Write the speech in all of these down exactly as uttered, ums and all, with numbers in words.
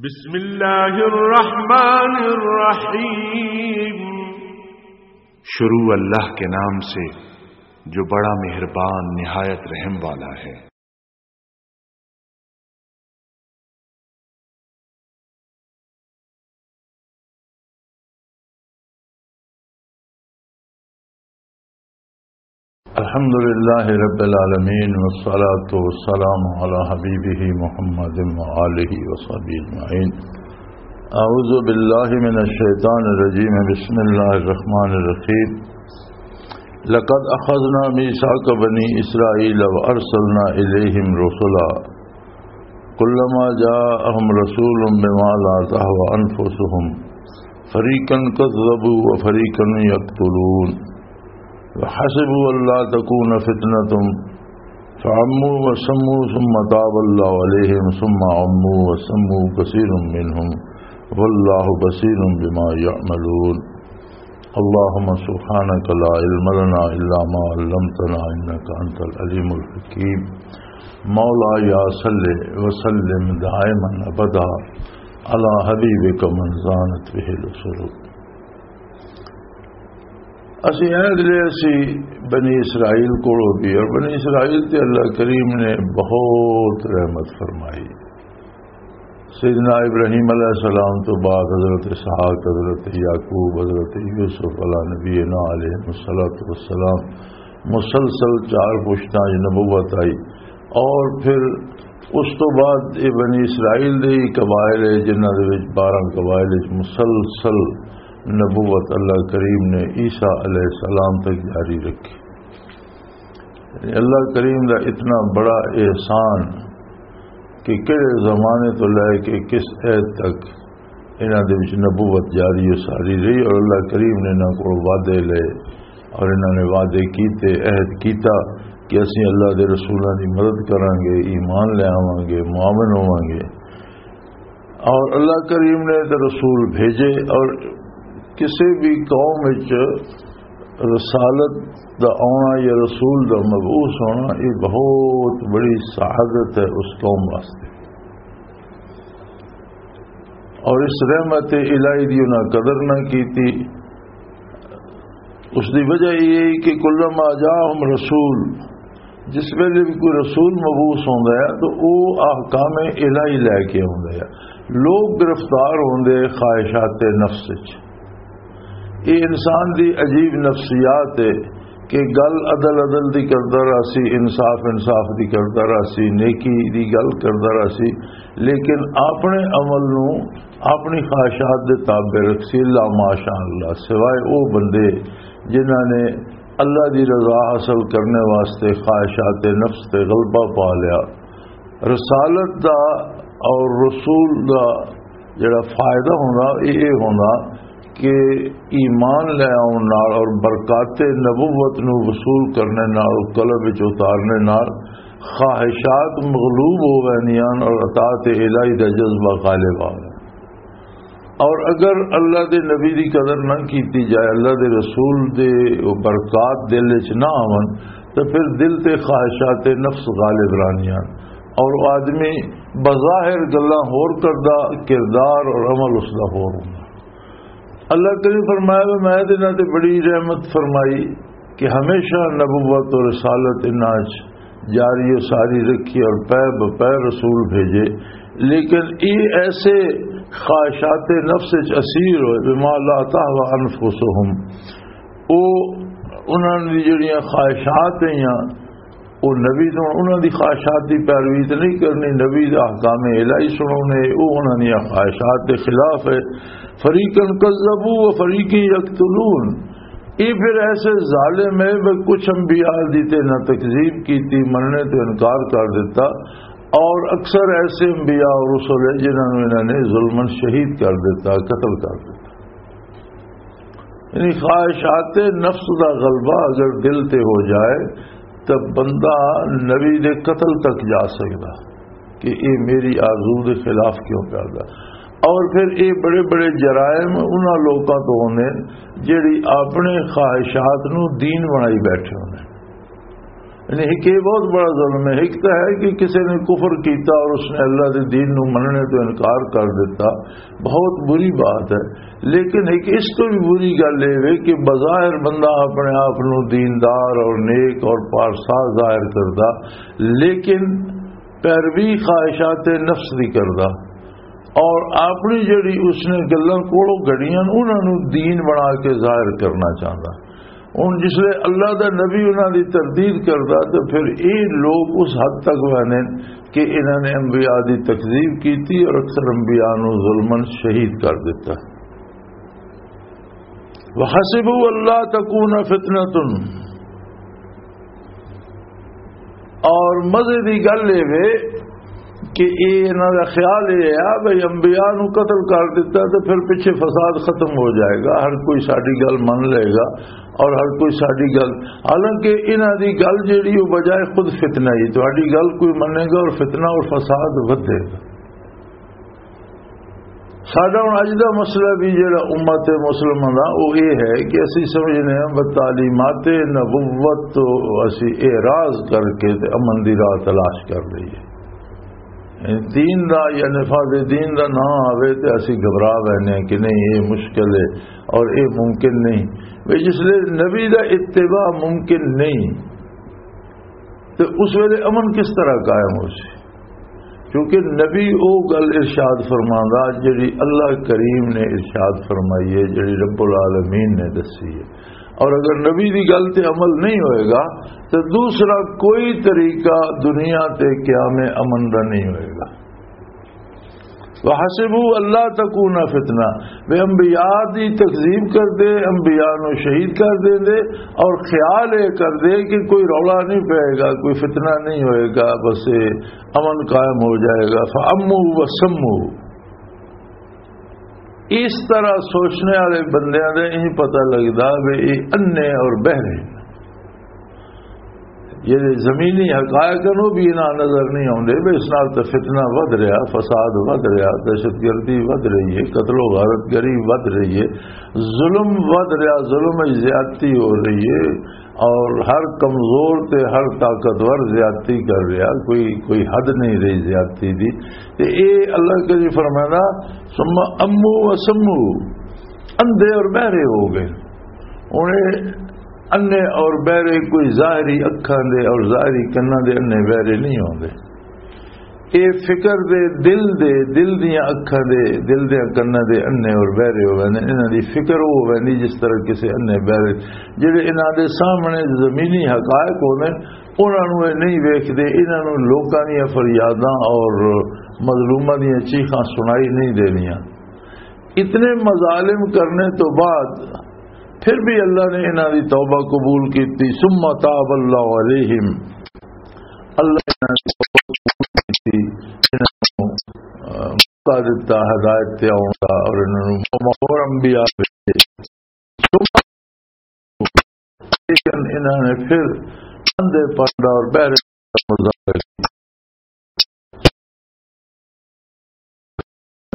بسم اللہ الرحمن الرحیم۔ شروع اللہ کے نام سے جو بڑا مہربان نہایت رحم والا ہے۔ الحمد لله رب العالمين، والصلاة والسلام على حبيبه محمد وآله وصحبه أجمعين. أعوذ بالله من الشيطان الرجيم. بسم الله الرحمن الرحيم. لقد أخذنا ميثاق بني إسرائيل وأرسلنا إليهم رسلا كلما جاءهم رسول بما لا تهوى أنفسهم فريقا كذبوا وفريقا يقتلون وحسبوا ألا تكون فتنة فعموا وسموا ثم تاب الله عليهم ثم عموا وسموا كثير منهم والله بصير بما يعملون. اللهم سبحانك لا علم لنا إلا ما علمتنا إنك أنت العليم الحكيم. مولاي صل وسلم دائما أبدا على حبيبك من زانت به الأسر. اسی عہد لے اسی بنی اسرائیل کولوں بھی، اور بنی اسرائیل تے اللہ کریم نے بہت رحمت فرمائی۔ سیدنا ابراہیم علیہ السلام تو بعد حضرت اسحاق، حضرت یعقوب، حضرت یوسف علیہ نبینا علیہ الصلوۃ والسلام مسلسل چار پشتاں وچ نبوت آئی، اور پھر اس تو بعد یہ بنی اسرائیل دے ہی قبائل ہے جنہاں دے وچ بارہ قبائل وچ مسلسل نبوت اللہ کریم نے عیسیٰ علیہ السلام تک جاری رکھی۔ یعنی اللہ کریم دا اتنا بڑا احسان کہ کہڑے زمانے تو لے کے کس عہد تک انہاں دے وچ نبوت جاری و ساری رہی، اور اللہ کریم نے انہاں کول وعدے لے اور انہاں نے وعدے کیتے، عہد کیتا کہ اسیں اللہ دے رسولاں دی مدد کراں گے، ایمان لے آواں گے، معاون ہوواں گے۔ اور اللہ کریم نے تے رسول بھیجے، اور کسی بھی قوم وچ رسالت دا آنا یا رسول دا مبعوث ہونا، یہ بہت بڑی سعادت ہے اس قوم واسطے۔ اور اس رحمت الہی دی انہاں قدر نہ کیتی۔ اس دی وجہ یہ ہے کہ کلما جاءہم رسول، جس ویلے بھی کوئی رسول مبعوث ہوندا ہے تو او احکام الہی لے کے ہوندا ہے۔ لوگ گرفتار ہوندے خواہشات نفس وچ۔ یہ انسان دی عجیب نفسیات ہے کہ گل عدل عدل دی کردا رہسی، انصاف انصاف دی کردا رہسی، نیکی دی گل کردا رہسی، لیکن اپنے عمل نو اپنی خواہشات دے تابع رکھسی، الا ماشاء اللہ، سوائے او بندے جنہاں نے اللہ دی رضا حاصل کرنے واسطے خواہشات نفس تے غلبہ پا لیا۔ رسالت دا اور رسول دا جڑا فائدہ ہونا، یہ یہ ہونا کہ ایمان لے آؤن نال اور برکات نبوت نو وصول کرنے نال، قلب وچ اتارنے نال خواہشات مغلوب ہو ویندیاں اور اطاعت الہی دا جذبہ غالب آ ویندا۔ اور اگر اللہ دے نبی دی قدر نہ کیتی جائے، اللہ دے رسول دے وہ برکات دل وچ نہ آون، تو پھر دل تے خواہشات نفس غالب رہنیاں، اور وہ آدمی بظاہر گلاں ہور کردا، کردار اور عمل اس دا ہور ہوندا۔ اللہ کریم فرمایا، میں تے انہاں تے بڑی رحمت فرمائی کہ ہمیشہ نبوت اور رسالت انہاں وچ جاری و ساری رکھی اور پے بپے رسول بھیجے، لیکن یہ ایسے خواہشات نفس وچ اسیر ہوئے، بما لا تهوى انفسهم، او انہاں دی جڑیاں خواہشات ہیں، او نبی تو انہاں دی خواہشات دی پیروی تے نہیں کرنی، نبی دا احکام الہی سناونے، او انہاں دی خواہشات دے خلاف ہے۔ فریقا کذبوا و فریقا یقتلون۔ یہ پھر ایسے ظالم ہے، وہ کچھ انبیاء دی تے نہ تکذیب کیتی، مننے تو انکار کر دیتا، اور اکثر ایسے انبیاء اور رسول ہیں جنہاں نوں انہاں نے ظلمن شہید کر دیتا، قتل کر دیتا۔ یعنی خواہشات نفس دا غلبہ اگر دل تے ہو جائے تو بندہ نبی دے قتل تک جا سکدا کہ اے میری آرزو دے خلاف کیوں کردا۔ اور پھر اے بڑے بڑے جرائم انہاں لوکاں تو ہوندے جڑی اپنے خواہشات نو دین بنائی بیٹھے ہوندے۔ یعنی ایک یہ بہت بڑا ظلم ہے۔ ایک تو ہے کہ کسی نے کفر کیتا اور اس نے اللہ کے دین نو مننے تو انکار کر دیتا، بہت بری بات ہے۔ لیکن ایک اس تو بھی بری گل یہ وے کہ بظاہر بندہ اپنے آپ نو دیندار اور نیک اور پارسا ظاہر کردا، لیکن پیروی خواہشات نفس دی کردا اور اپنی جڑی اس نے گلاں کولوں گھڑیاں انہاں نو دین بنا کے ظاہر کرنا چاہندا۔ ہن جس لے اللہ دا نبی انہاں دی تردید کردا، تے پھر اے لوگ اس حد تک ویندے کہ انہاں نے انبیاء دی تکذیب کیتی اور اکثر انبیاء نوں ظلمن شہید کر دتا۔ وَحَسِبُوا أَلَّا تَكُونَ فِتْنَةٌ، اور مزے دی گل اے وے کہ اے انہاں دا خیال اے ہے بھئی انبیاء نو قتل کر دتا تے پھر پیچھے فساد ختم ہو جائے گا، ہر کوئی ساڈی گل من لے گا اور ہر کوئی ساڈی گل، حالانکہ انہاں دی گل جیڑی او بجائے خود فتنہ ہی، تہاڈی گل کوئی منے گا اور فتنہ اور فساد ودھے گا۔ ساڈا ہن اج دا مسئلہ بھی جڑا امت مسلمہ دا، وہ یہ ہے کہ اسی سمجھنے ہیں بس تعلیمات نبوت تو اسی اعراض کر کے تے امن دی راہ تلاش کر لئیے۔ دین دا یا نفاذ دین دا نہ آوے تے اسی گھبرا وینے ہیں کہ نہیں، یہ مشکل ہے اور یہ ممکن نہیں۔ بھئی جس لئے نبی دا اتباع ممکن نہیں، تے اس ویلے امن کس طرح قائم ہو سی؟ کیونکہ نبی او گل ارشاد فرماندا جڑی اللہ کریم نے ارشاد فرمائی ہے، جڑی رب العالمین نے دسی ہے۔ اور اگر نبی دی گل تے عمل نہیں ہوئے گا تو دوسرا کوئی طریقہ دنیا تے قیام امن دا نہیں ہوئے گا۔ وَحَسِبُوا أَلَّا تَكُونَ فِتْنَةٌ، وہ انبیاء دی تکذیب کر دے، انبیاء نو شہید کر دے دے، اور خیال اے کر دے کہ کوئی رولا نہیں پائے گا، کوئی فتنہ نہیں ہوئے گا، بس اے امن قائم ہو جائے گا۔ فَأَمُّوا وَسَمُّوا۔ اس طرح سوچنے والے بندیاں دے نہیں پتہ لگدا کہ یہ انے اور بہرے ہیں۔ یہ زمینی حقائق نو بھی انہاں نظر نہیں آوندے، بھی اس نال تے فتنہ ودھ رہیا، فساد ودھ رہیا، دہشت گردی ودھ رہی ہے، قتل و غارت گری ودھ رہی ہے، ظلم ودھ رہیا، ظلم وچ زیادتی ہو رہی ہے، اور ہر کمزور تے ہر طاقتور زیادتی کر رہیا، کوئی، کوئی حد نہیں رہی زیادتی دی۔ تے اے اللہ کریم فرمانا، "ثم امو و سمو"، اندھے اور بہرے ہو گئے۔ ہن اے انے اور بہرے کوئی ظاہری اکھاں دے اور ظاہری کناں دے انے بہرے نہیں ہوندے۔ اے فکر دے، دل دے، دل دیاں اکھاں دے، دل دیاں کناں دے انے اور بہرے ہو ویندے۔ انہاں دی فکر او ہوندی جس طرح کسے انے بہرے، جڑے انہاں دے سامنے زمینی حقائق ہوندے، انہاں نوں اے نہیں ویکھدے، انہاں نوں لوکاں دیاں فریاداں اور مظلوماں دیاں چیخاں سنائی نہیں دینیاں۔ اتنے مظالم کرنے تو بعد پھر بھی اللہ نے انہاں دی توبہ قبول کیتی۔ ثم تاب اللہ علیہم، اللہ نے انہاں دی توبہ قبول کیتی، انہاں نوں، آ، موقع دتا ہدایت تے آؤن دا اور انہاں نوں اور انبیاء بھیجے۔ ثم، لیکن انہاں نے پھر اندھے پن دا اور بہرے پن دا مظاہرہ کیتا۔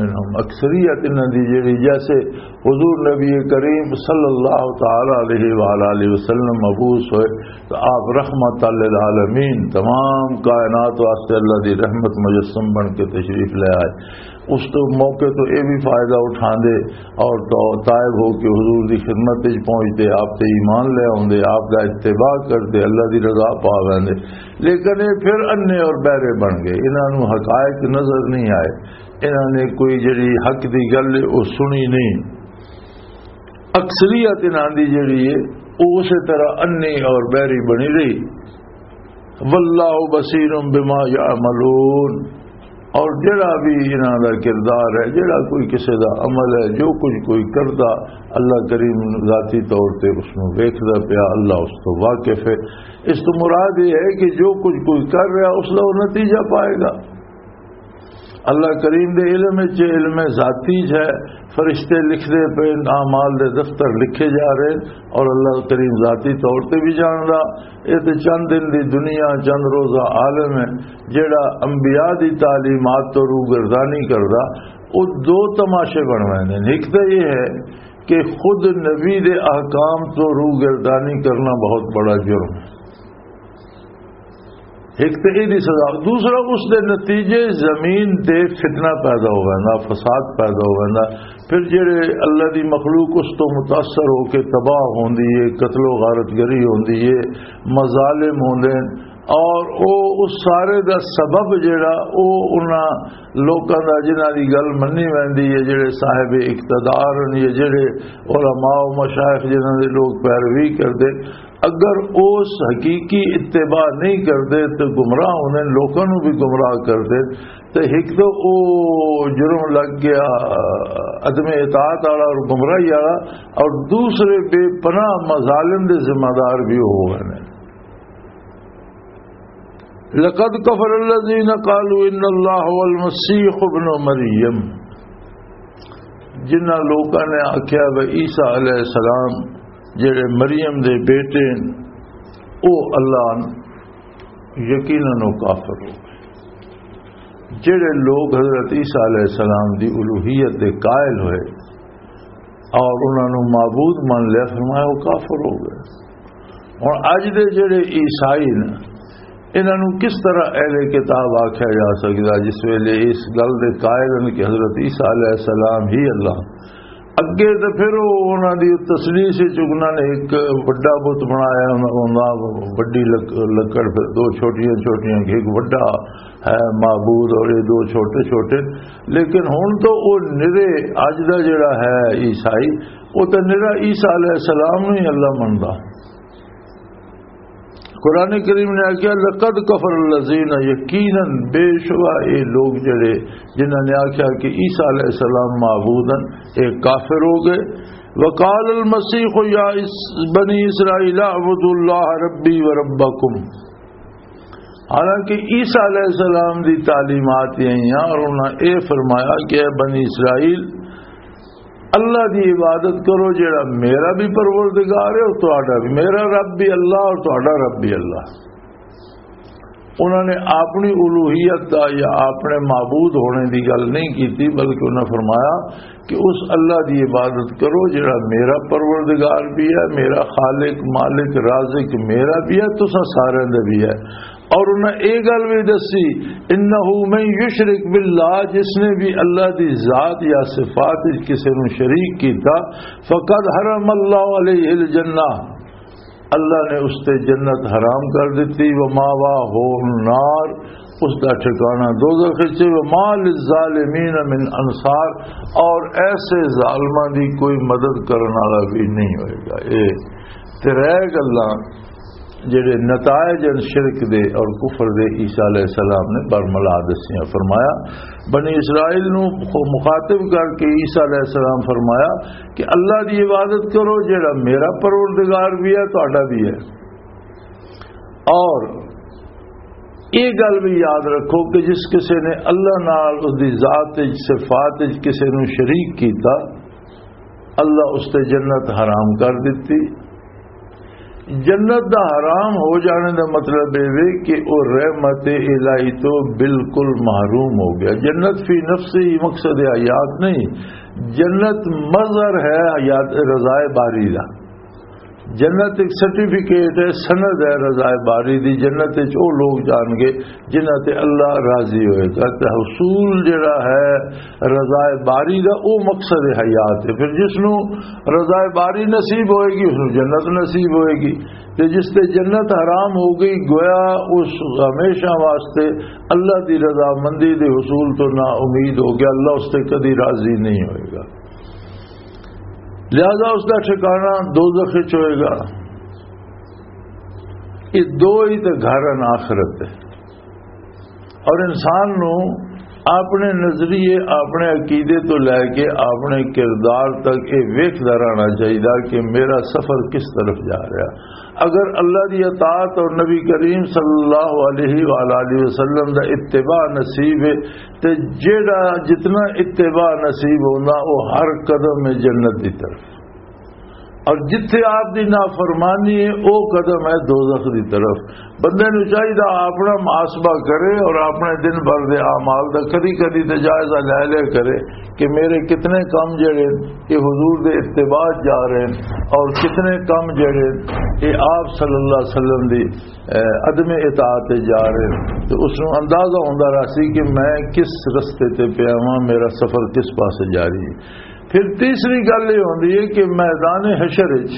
منہم، اکثریت انہاں دی جڑی، جیسے حضور نبی کریم صلی اللہ تعالی علیہ وآلہ وسلم مبعوث ہوئے تو آپ رحمت للعالمین، تمام کائنات واسطے اللہ دی رحمت مجسم بن کے تشریف لے آئے۔ اس تو موقع تو یہ بھی فائدہ اٹھاندے اور تو تائب ہو کے حضور دی خدمت وچ پہنچدے، آپ تے ایمان لے آوندے، آپ دا اتباع کردے، اللہ دی رضا پا ویندے۔ لیکن یہ پھر انے اور بہرے بن گئے، انہاں نوں حقائق نظر نہیں آئے، انہاں نے کوئی جڑی حق دی گل ہے، وہ سنی نہیں۔ اکثریت انہاں دی جڑی ہے، وہ اسی طرح انی اور بہری بنی رہی۔ واللہ بصیر بما یعملون، اور جڑا بھی انہاں دا کردار ہے، جڑا کوئی کسے دا عمل ہے، جو کچھ کوئی کردا، اللہ کریم ذاتی طور تے اس نوں ویکھدا پیا، اللہ اس تو واقف ہے۔ اس تو مراد یہ ہے کہ جو کچھ کوئی کر رہا، اس دا وہ نتیجہ پائے گا۔ اللہ کریم دے علم وچ، علم ذاتی ہے، فرشتے لکھدے پے، اعمال دے دفتر لکھے جا رہے، اور اللہ کریم ذاتی طور تے بھی جاندا۔ یہ تے چند دن دی دنیا، چند روزہ عالم ہے، جڑا انبیاء دی تعلیمات تو روگردانی کردا، وہ دو تماشے بن ویندے نے۔ ایک تو یہ ہے کہ خود نبی دے احکام تو روگردانی کرنا بہت بڑا جرم ہے۔ ایک تے ایہدی سزا، دوسرا اس دے نتیجے زمین تے فتنہ پیدا ہو ویندا، فساد پیدا ہو ویندا۔ پھر جڑے اللہ دی مخلوق اس تو متاثر ہو کے تباہ ہوندی ہے، قتل و غارت گری ہوندی ہے، مظالم ہوندے ہیں، اور او اس سارے دا سبب جڑا او انہاں لوکاں دا جنہاں دی گل منی ویندی ہے، جڑے صاحب اقتدار ہیں یا جڑے علماء و مشائخ جنہاں دے لوگ پیروی کردے، اگر اس حقیقی اتباع نہیں کردے تو گمراہ ہوندے، لوکاں نوں بھی گمراہ کردے۔ تو ایک تو او جرم لگ گیا عدم اطاعت والا اور گمراہی والا، اور دوسرے بے پناہ مظالم دے ذمہ دار بھی ہو گئے نے۔ لقد كفر الذين قالوا ان الله هو المسيح ابن مريم، جنہاں لوکاں نے آکھیا وہ عیسیٰ علیہ السلام جڑے مریم دے بیٹے ہیں، او اللہ، یقیناً وہ کافر ہو گئے۔ جڑے لوگ حضرت عیسیٰ علیہ السلام دی الوہیت دے قائل ہوئے اور انہاں نوں معبود من لیا، فرمایا وہ کافر ہو گئے۔ ہن اج دے جڑے عیسائی نے، انہاں نوں کس طرح اہل کتاب آکھیا جا سکدا جس ویلے اس گل دے قائل ہیں کہ حضرت عیسیٰ علیہ السلام ہی اللہ؟ اگے تے پھر او انہاں دی تسلیس وچ انہاں نے ایک وڈا بت بنایا، انہاں، انہاں وڈی لک-، لکڑ، پھر دو چھوٹیاں چھوٹیاں، ایک وڈا ہے معبود اور یہ دو چھوٹے چھوٹے۔ لیکن ہن تو او نرے، اج دا جڑا ہے عیسائی، او تے نرا عیسیٰ علیہ السلام نوں ہی اللہ مندا۔ قرآن کریم نے آکھیا، "لقد کفر الذین"، یقیناً بے شبہ اے لوگ جڑے جنہاں نے آکھیا کہ عیسیٰ علیہ السلام معبود ہیں، اے کافر ہو گئے۔ "وقال المسیح یا اس-، بنی اسرائیل اعبدوا اللہ ربی و ربکم"، حالانکہ عیسیٰ علیہ السلام دی تعلیمات یہ ہیں اور انہاں اے فرمایا کہ اے بنی اسرائیل، اللہ دی عبادت کرو جڑا میرا بھی پروردگار ہے اور تہاڈا بھی، میرا رب بھی اللہ اور تہاڈا رب بھی اللہ۔ انہوں نے اپنی الوہیت دا یا اپنے معبود ہونے دی گل نہیں کیتی، بلکہ انہوں نے فرمایا کہ اس اللہ دی عبادت کرو جڑا میرا پروردگار بھی ہے، میرا خالق، مالک، رازق میرا بھی ہے، تساں سارے دے بھی ہے۔ اور انہاں اے گل وی دسی، "انہ من یشرک باللہ"، جس نے بھی اللہ دی ذات یا صفات وچ کسے نوں شریک کیتا، "فقد حرم اللہ علیہ الجنہ"، اللہ نے اس تے جنت حرام کر دتی، "وماواہ النار"، اس دا ٹھکانہ دوزخ وچ، "وما للظالمین من انصار"، اور ایسے ظالماں دی کوئی مدد کرن والا بھی نہیں ہوئے گا۔ اے ترے گلاں جڑے نتائج ہیں شرک دے اور کفر دے، عیسیٰ علیہ السلام نے برملا دسیاں۔ فرمایا، بنی اسرائیل نو خو-، مخاطب کر کے عیسیٰ علیہ السلام فرمایا کہ اللہ دی عبادت کرو، جڑا میرا پروردگار بھی ہے، تہاڈا بھی ہے۔ اور یہ گل بھی یاد رکھو کہ جس کسے نے اللہ نال، اس دی ذات وچ، صفات وچ کسے نو شریک کیتا، اللہ اس تے جنت حرام کر دتی۔ جنت دا حرام ہو جانے دا مطلب اے وے کہ او رحمت الہی تو بالکل محروم ہو گیا۔ جنت فی نفسی مقصد حیات نہیں، جنت مظہر ہے حیات، رضائے باری دا۔ جنت ایک سرٹیفکیٹ ہے، سند ہے رضائے باری دی۔ جنت وچ او لوگ جان گے جنہاں تے اللہ راضی ہوئے گا۔ تے حصول جڑا ہے رضائے باری دا، او مقصد حیات ہے۔ پھر جس نو رضائے باری نصیب ہوئے گی، اس نو جنت نصیب ہوئے گی۔ تے جس تے جنت حرام ہو گئی، گویا اس ہمیشہ واسطے اللہ دی رضامندی دے حصول تو نا امید ہو گیا، اللہ اس تے کدی راضی نہیں ہوئے گا۔ لہذا اس دا ٹھکانہ دوزخ وچ ہوئے گا۔ یہ دو ہی تے گھر ہیں آخرت دے۔ اور انسان نو اپنے نظریے، اپنے عقیدے تو لے کے اپنے کردار تک یہ ویکھدا رہنا چاہیے کہ میرا سفر کس طرف جا رہا۔ اگر اللہ دی اطاعت اور نبی کریم صلی اللہ علیہ وآلہ وسلم دا اتباع نصیب ہے، تے جیڑا جتنا اتباع نصیب ہونا، وہ ہر قدم میں جنت دی طرف۔ اور جتھے آپ دی نافرمانی ہے، او قدم ہے دوزخ دی طرف۔ بندے نوں چاہیدا اپنا محاسبہ کرے اور اپنے دن بھر دے اعمال دا کدی کدی تے جائزہ لے لیا کرے کہ میرے کتنے کم جڑے یہ حضور دے اتباع جا رہے ہیں اور کتنے کم جڑے یہ آپ صلی اللہ علیہ وسلم دی، اے، عدم اطاعت جا رہے ہیں۔ تو اس نوں اندازہ ہوندا رہسی کہ میں کس رستے تے پیا ہاں، میرا سفر کس پاسے جاری ہے۔ پھر تیسری گل یہ ہوندی ہے کہ میدان حشر وچ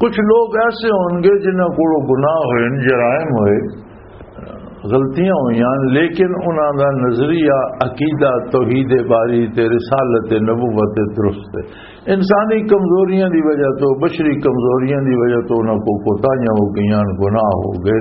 کچھ لوگ ایسے ہون گے جنہاں کولوں گناہ ہوئے، جرائم ہوئے، غلطیاں ہوئیاں، لیکن انہاں دا نظریہ، عقیدہ توحید باری تے رسالت نبوت درست ہے۔ انسانی کمزوریاں دی وجہ تو، بشری کمزوریاں دی وجہ تو انہاں کو کوتاہیاں ہو گئیاں، گناہ ہو گئے۔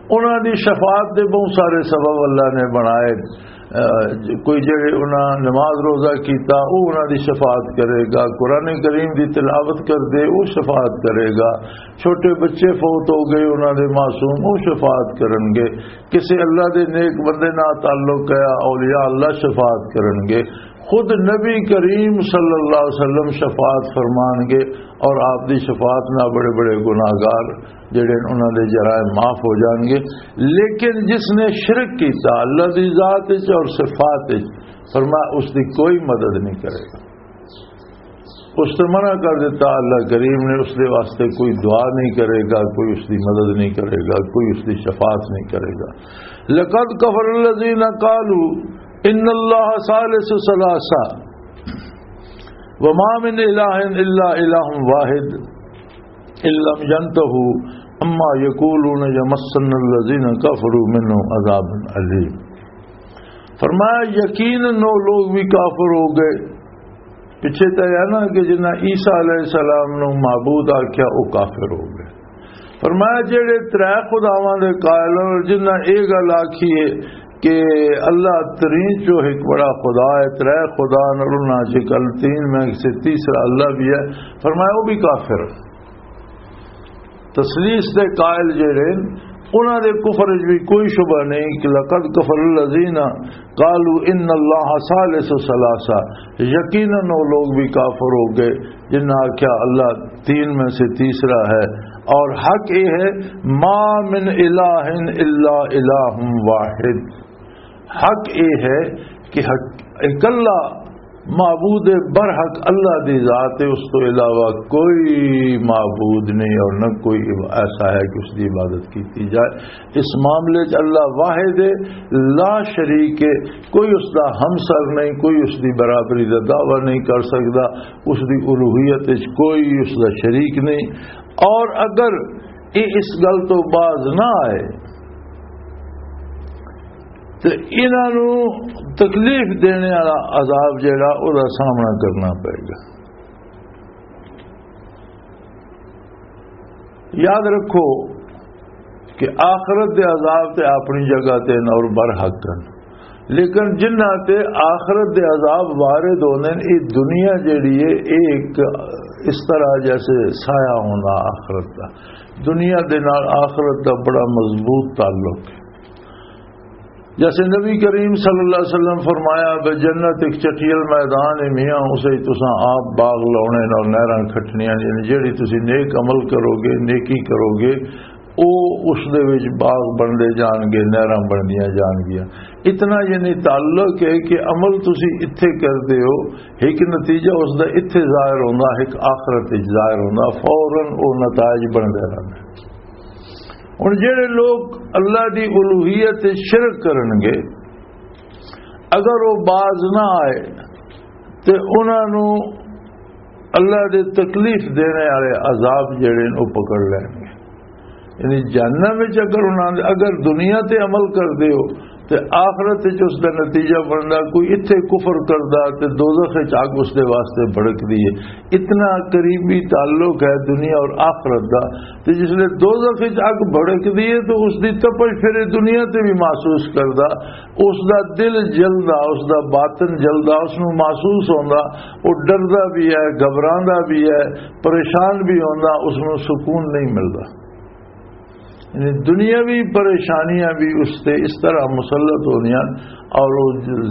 انہاں دی شفاعت دے بہت سارے سبب اللہ نے بنائے۔ اہ، کوئی جڑے انہاں نماز روزہ کیتا، او انہاں دی شفاعت کرے گا۔ قرآن کریم دی تلاوت کر دے، او شفاعت کرے گا۔ چھوٹے بچے فوت ہو گئے، انہاں دے معصوم، او شفاعت کرن گے۔ کسے اللہ دے نیک بندے نال تعلق ہے، اولیاء اللہ شفاعت کرن گے۔ خود نبی کریم صلی اللہ علیہ وسلم شفاعت فرمان گے اور آپ دی شفاعت نال بڑے بڑے گناہگار جڑے انہاں دے جرائم معاف ہو جان گے۔ لیکن جس نے شرک کیتا اللہ دی ذات وچ اور صفات وچ، فرمایا اس دی کوئی مدد نہیں کرے گا۔ اس تے منع کر دیتا اللہ کریم نے، اس دے واسطے کوئی دعا نہیں کرے گا، کوئی اس دی مدد نہیں کرے گا، کوئی اس دی شفاعت نہیں کرے گا۔ لقد کفر الذین قالوا ان اللہ ثالث ثلاثہ وما من الہ الا الہ واحد ان لم ينتهوا عما يقولون يمسن الذين كفروا منهم عذاب علیم۔ فرمایا، یقیناً وہ لوگ بھی کافر ہو گئے۔ پیچھے تو ہے نا کہ جنہاں عیسیٰ علیہ السلام نو معبود آکھیا، وہ کافر ہو گئے۔ فرمایا، جڑے ترے خداواں دے قائل ہن، جنہاں یہ گل آکھی ہے کہ اللہ ترین چو ایک بڑا خدا ہے، ترے خدا نال انہاں چ کل تین میں سے تیسرا اللہ بھی ہے، فرمایا، وہ بھی کافر۔ تثلیث دے قائل جڑے ہن، انہاں دے کفر وچ بھی کوئی شبہ نہیں کہ لقد کفر الذین قالوا ان اللہ ثالث ثلاثہ، یقیناً وہ لوگ بھی کافر ہو گئے جنہاں آکھیا اللہ تین میں سے تیسرا ہے۔ اور حق یہ ہے، ما من الہ الا الہ واحد، حق یہ ہے کہ حق اکلا معبود برحق اللہ دی ذات ہے، اس تو علاوہ کوئی معبود نہیں اور نہ کوئی عب-، ایسا ہے کہ اس دی عبادت کیتی جائے۔ اس معاملے چ اللہ واحد ہے، لا شریک ہے، کوئی اس دا ہمسر نہیں، کوئی اس دی برابری دا دعویٰ نہیں کر سکدا، اس دی الوہیت وچ کوئی اس دا شریک نہیں۔ اور اگر یہ اس گل تو باز نہ آئے، تے انہاں نوں تکلیف دینے والا عذاب جڑا، او دا سامنا کرنا پئے گا۔ یاد رکھو کہ آخرت دے عذاب تے اپنی جگہ تے ہن اور برحق ہن، لیکن جنہاں تے آخرت دے عذاب وارد ہوندے نے، اے دنیا جڑی ہے، اے ایک اس طرح جیسے سایہ ہوندا آخرت دا۔ دنیا دے نال آخرت دا بڑا مضبوط تعلق ہے۔ جیسے نبی کریم صلی اللہ علیہ وسلم فرمایا، "بے جنت ایک چٹیل میدان ہے میاں، اسے تساں آپ باغ لاؤنے اور نہراں کھٹنیاں، یعنی جیڑی تسی نیک عمل کرو گے، نیکی کرو گے، او اس دے وچ باغ بندے جان گے، نہراں بندیاں جان گیاں۔" اتنا یعنی تعلق ہے کہ عمل تسی اتھے کردے ہو، ایک نتیجہ اس دا اتھے ظاہر ہوندا، ایک آخرت وچ ظاہر ہوندا، فوراً او نتائج بندے رہندے۔ ہن جڑے لوگ اللہ دی الوہیت تے شرک کرن گے، اگر وہ باز نہ آئے تے انہاں نوں اللہ دے تکلیف دینے والے عذاب جڑے نے، وہ پکڑ لین گے۔ یعنی جہنم وچ اگر انہاں دے، اگر دنیا تے عمل کردے ہو تے آخرت وچ اس دا نتیجہ بندا، کوئی اتھے کفر کردا تے دوزخ وچ اگ اس دے واسطے بھڑکدی ہے۔ اتنا قریبی تعلق ہے دنیا اور آخرت دا۔ تے جس لے دوزخ وچ اگ بھڑکدی ہے تو اس دی تپش پھر یہ دنیا تے بھی محسوس کردا، اس دا دل جلدا، اس دا باطن جلدا، اس نوں محسوس ہوندا، وہ ڈردا بھی ہے، گھبراندا بھی ہے، پریشان بھی ہوندا، اس نوں سکون نہیں ملدا۔ یعنی دنیاوی پریشانیاں بھی اس تے اس طرح مسلط ہونیاں، اور وہ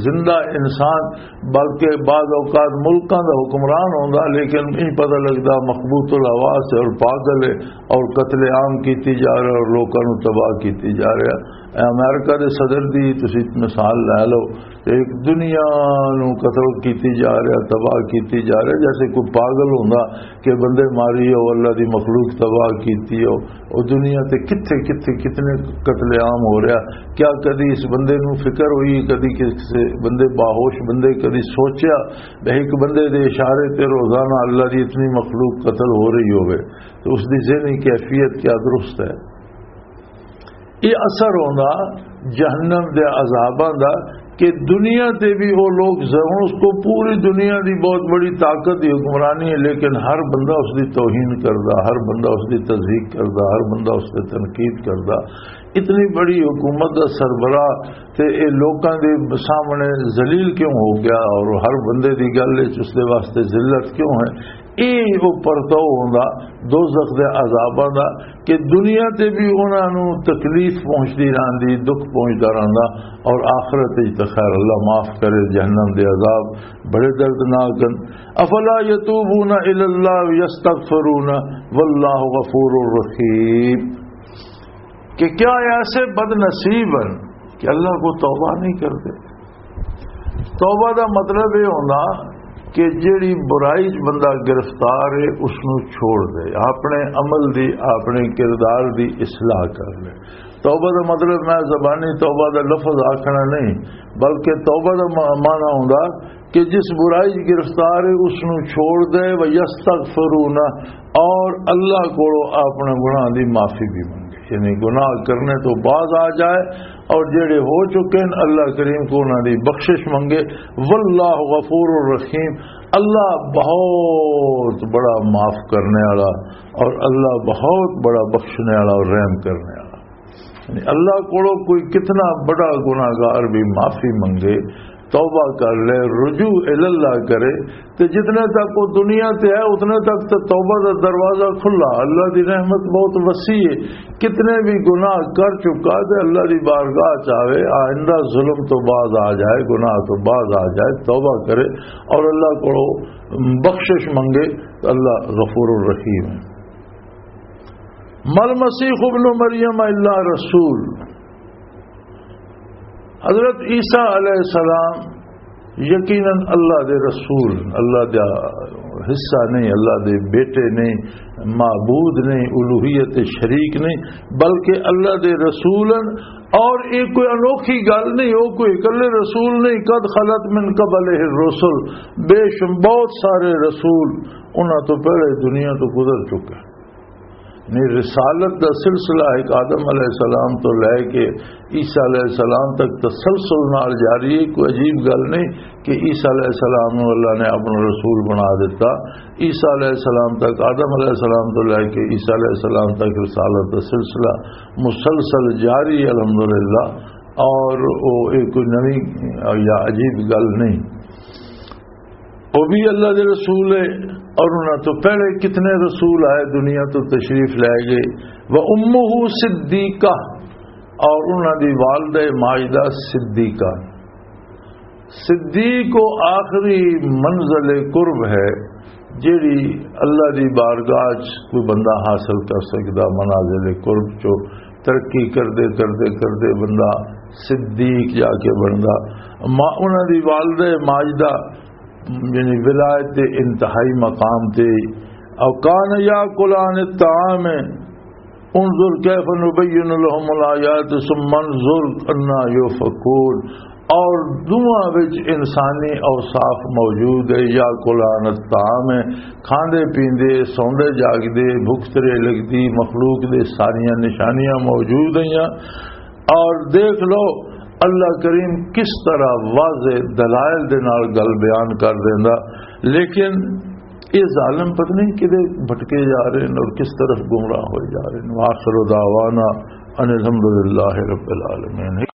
زندہ انسان بلکہ بعض اوقات ملکاں دا حکمران ہوندا، لیکن نہیں پتہ لگدا، مخبوط الحواس ہے اور پاگل ہے، اور قتل عام کیتی جا رہا ہے اور لوکاں نوں تباہ کیتی جا رہا ہے۔ اے امریکہ دے صدر دی تسی مثال لے لو، ایک دنیا نوں قتل کیتی جا رہا، تباہ کیتی جا رہا، جیسے کوئی پاگل ہوندا کہ بندے ماری ہو، اللہ دی مخلوق تباہ کیتی ہو۔ اور دنیا تے کتھے کتھے کتنے قتل عام ہو رہا۔ کیا کدی اس بندے نوں فکر ہوئی، کدی کسے بندے، باہوش بندے کدی سوچیا کہ ایک بندے دے اشارے تے روزانہ اللہ دی اتنی مخلوق قتل ہو رہی ہوئے؟ تو اس دی ذہنی کیفیت کیا درست ہے؟ یہ اثر ہوندا جہنم دے عذاباں دا، کہ دنیا تے بھی وہ لوگ ضرور، اس کو پوری دنیا دی بہت بڑی طاقت دی حکمرانی ہے، لیکن ہر بندہ اس دی توہین کردا، ہر بندہ اس دی تضحیق کردا، ہر بندہ اس تے تنقید کردا۔ اتنی بڑی حکومت دا سربراہ تے اے لوکاں دے سامنے ذلیل کیوں ہو گیا اور ہر بندے دی گل وچ اس دے واسطے ذلت کیوں ہے؟ اے او پرتو ہوندا دوزخ دے عذاباں دا، کہ دنیا تے بھی انہاں نوں تکلیف پہنچدی رہندی، دکھ پہنچدا رہندا، اور آخرت وچ تے خیر، اللہ معاف کرے، جہنم دے عذاب بڑے دردناک ہیں۔ افلا یتوبون الی اللہ ویستغفرون واللہ غفور رحیم۔ کہ کیا ایسے بد نصیب ہیں کہ اللہ کو توبہ نہیں کرتے؟ توبہ دا مطلب یہ ہونا کہ جیڑی برائی چ بندہ گرفتار ہے، اس نو چھوڑ دے، اپنے عمل دی، اپنے کردار دی اصلاح کر لے۔ توبہ دا مطلب میں زبانی توبہ دا لفظ آکھنا نہیں، بلکہ توبہ دا ما-، معنی ہوندا کہ جس برائی چ گرفتار ہے، اس نو چھوڑ دے، وَيَسْتَغْفِرُونَ، اور اللہ کولو اپنے گناہ دی معافی بھی منگے، یعنی گناہ کرنے تو باز آ جائے، اور جڑے ہو چکے ہیں، اللہ کریم کو انہاں دی بخشش منگے۔ واللہ غفور الرحیم، اللہ بہت بڑا معاف کرنے والا اور اللہ بہت بڑا بخشنے والا اور رحم کرنے والا۔ یعنی اللہ کولو کوئی کتنا بڑا گناہگار بھی معافی منگے، توبہ کر لے، رجوع اللہ کرے، تے جتنے تک وہ دنیا تے ہے، اتنے تک تے توبہ دا دروازہ کھلا۔ اللہ دی رحمت بہت وسیع ہے۔ کتنے بھی گناہ کر چکا تے اللہ دی بارگاہ چ آوے، آئندہ ظلم تو باز آ جائے، گناہ تو باز آ جائے، توبہ کرے اور اللہ کو بخشش منگے، تو اللہ غفور الرحیم ہے۔ مل مسیح ابن مریم الا رسول، حضرت عیسیٰ علیہ السلام یقیناً اللہ دے رسول، اللہ دا حصہ نہیں، اللہ دے بیٹے نہیں، معبود نہیں، الوہیت شریک نہیں، بلکہ اللہ دے رسول ہیں۔ اور یہ کوئی انوکھی گل نہیں، وہ کوئی اکلے رسول نہیں۔ قد خلت من قبلہ الرسل، بے شم-، بہت سارے رسول انہاں تو پہلے دنیا تو گزر چکے۔ یعنی رسالت دا سلسلہ ایک آدم علیہ السلام تو لے کے عیسیٰ علیہ السلام تک تسلسل نال جاری ہے۔ کوئی عجیب گل نہیں کہ عیسیٰ علیہ السلام نو اللہ نے اپنا رسول بنا دیتا۔ عیسیٰ علیہ السلام تک، آدم علیہ السلام تو لے کے عیسیٰ علیہ السلام تک رسالت دا سلسلہ مسلسل جاری ہے الحمدللہ۔ اور وہ ایک کوئی نئی یا عجیب گل نہیں۔ وہ بھی اللہ دے رسول ہے، اور انہاں تو پہلے کتنے رسول آئے، دنیا تو تشریف لے گئے۔ وَأُمُّهُ صِدِّيقَةٌ، اور انہاں دی والدہ ماجدہ صدیقہ۔ صدیق و آخری منزل قرب ہے، جیڑی اللہ دی بارگاہ چ کوئی بندہ حاصل کر سکدا، منازل قرب چو ترقی کردے، کردے، کردے بندہ صدیق جا کے بندا۔ ماں، انہاں دی والدہ ماجدہ یعنی ولایت دے انتہائی مقام تے۔ او کان یاکلان الطعام، انظر کیف نبین لهم الآیات ثم انظر انا یؤفکون۔ اور دعا وچ انسانی اوصاف موجود ہے، یاکلان الطعام، کھاندے پیندے، سوندے جاگدے، بھوک ترے لگدی، مخلوق دے ساریاں نشانیاں موجود ہیں۔ اور دیکھ لو، اللہ کریم کس طرح واضح دلائل دے نال گل بیان کر دیندا، لیکن یہ ظالم پتہ نہیں کدے بھٹکے جا رہے ہیں اور کس طرف گمراہ ہوئے جا رہے ہیں۔ وآخر دعوانا ان الحمدللہ رب العالمین۔